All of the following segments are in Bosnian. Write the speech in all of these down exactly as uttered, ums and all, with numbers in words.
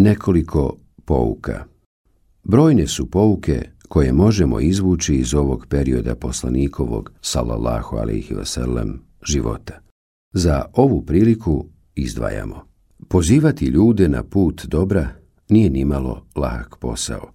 Nekoliko pouka. Brojne su pouke koje možemo izvući iz ovog perioda poslanikovog, sallallahu alejhi ve sellem, života. Za ovu priliku izdvajamo. Pozivati ljude na put dobra nije nimalo lahak posao.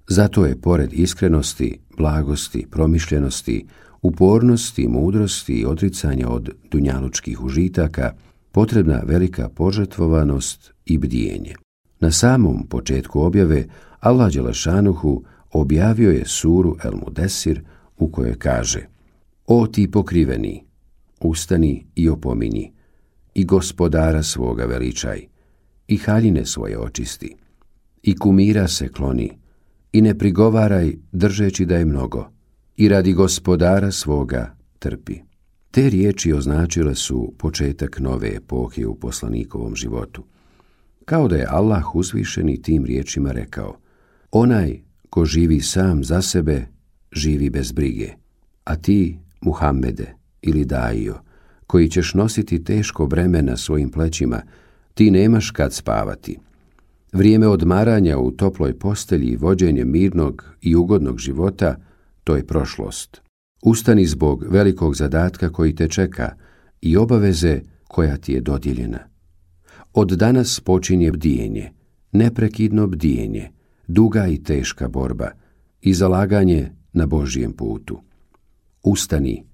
Zato je pored iskrenosti, blagosti, promišljenosti, upornosti, mudrosti i odricanja od dunjalučkih užitaka potrebna velika požrtvovanost i bdijenje. Na samom početku objave Allah dželešanuhu objavio je suru El Mudesir u kojoj kaže: O ti pokriveni, ustani i opominji, i gospodara svoga veličaj, i haljine svoje očisti, i kumira se kloni, i ne prigovaraj držeći da je mnogo, i radi gospodara svoga trpi. Te riječi označile su početak nove epohe u poslanikovom životu. Kao da je Allah uzvišeni tim riječima rekao: onaj ko živi sam za sebe, živi bez brige, a ti, Muhammede ili Dajo, koji ćeš nositi teško breme na svojim plećima, ti nemaš kad spavati. Vrijeme odmaranja u toploj postelji i vođenje mirnog i ugodnog života, to je prošlost. Ustani zbog velikog zadatka koji te čeka i obaveze koja ti je dodijeljena. Od danas počinje bdijenje, neprekidno bdijenje, duga i teška borba i zalaganje na Božjem putu. Ustani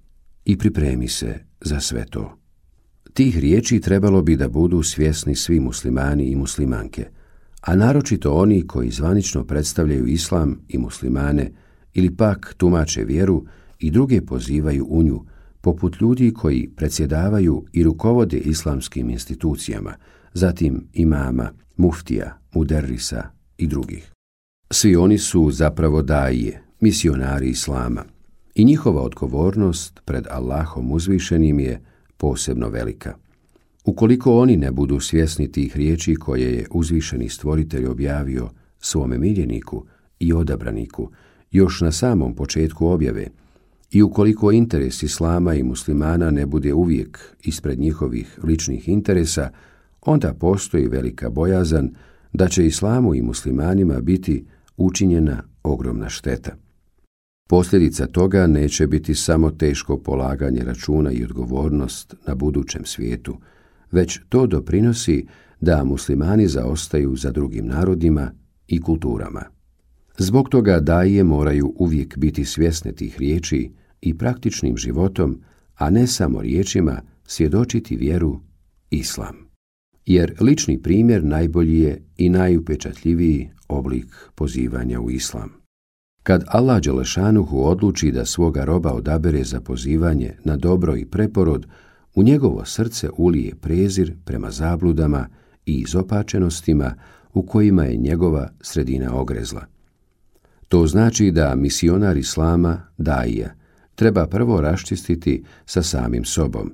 i pripremi se za sve to. Tih riječi trebalo bi da budu svjesni svi muslimani i muslimanke, a naročito oni koji zvanično predstavljaju islam i muslimane ili pak tumače vjeru i druge pozivaju u nju, poput ljudi koji predsjedavaju i rukovode islamskim institucijama, zatim imama, muftija, muderrisa i drugih. Svi oni su zapravo daije, misionari islama, i njihova odgovornost pred Allahom uzvišenim je posebno velika. Ukoliko oni ne budu svjesni tih riječi koje je uzvišeni stvoritelj objavio svome miljeniku i odabraniku još na samom početku objave, i ukoliko interes islama i muslimana ne bude uvijek ispred njihovih ličnih interesa, onda postoji velika bojazan da će islamu i muslimanima biti učinjena ogromna šteta. Posljedica toga neće biti samo teško polaganje računa i odgovornost na budućem svijetu, već to doprinosi da muslimani zaostaju za drugim narodima i kulturama. Zbog toga daije moraju uvijek biti svjesne tih riječi i praktičnim životom, a ne samo riječima, svjedočiti vjeru islam. Jer lični primjer najbolji je i najupečatljiviji oblik pozivanja u islam. Kad Allah dželešanuhu odluči da svoga roba odabere za pozivanje na dobro i preporod, u njegovo srce ulije prezir prema zabludama i izopačenostima u kojima je njegova sredina ogrezla. To znači da misionar islama, daija, treba prvo raščistiti sa samim sobom,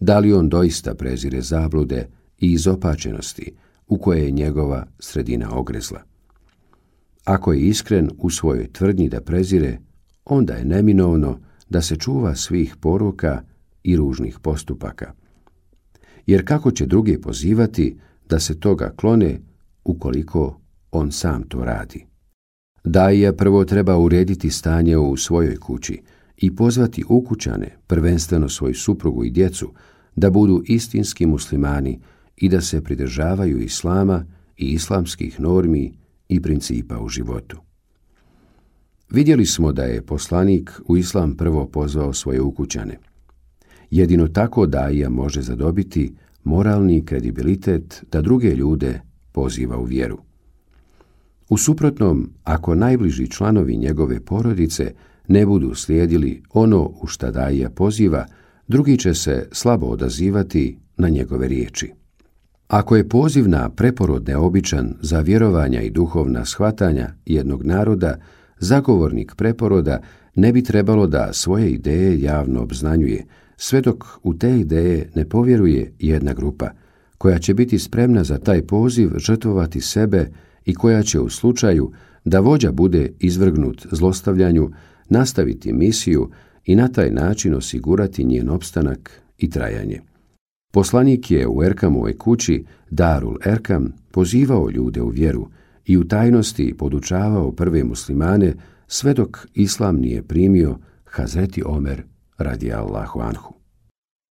da li on doista prezire zablude i izopačenosti u koje je njegova sredina ogrezla. Ako je iskren u svojoj tvrdnji da prezire, onda je neminovno da se čuva svih poruka i ružnih postupaka. Jer kako će druge pozivati da se toga klone ukoliko on sam to radi? Daija prvo treba urediti stanje u svojoj kući i pozvati ukućane, prvenstveno svoju suprugu i djecu, da budu istinski muslimani i da se pridržavaju islama i islamskih normi i principa u životu. Vidjeli smo da je poslanik u islam prvo pozvao svoje ukućane. Jedino tako daija može zadobiti moralni kredibilitet da druge ljude poziva u vjeru. U suprotnom, ako najbliži članovi njegove porodice ne budu slijedili ono u šta daija poziva, drugi će se slabo odazivati na njegove riječi. Ako je poziv na preporod neobičan za vjerovanja i duhovna shvatanja jednog naroda, zagovornik preporoda ne bi trebalo da svoje ideje javno obznanjuje, sve dok u te ideje ne povjeruje jedna grupa, koja će biti spremna za taj poziv žrtvovati sebe i koja će u slučaju da vođa bude izvrgnut zlostavljanju nastaviti misiju i na taj način osigurati njen opstanak i trajanje. Poslanik je u Erkamovoj kući, Darul Erkam, pozivao ljude u vjeru i u tajnosti podučavao prve muslimane sve dok islam nije primio Hazreti Omer radijallahu anhu.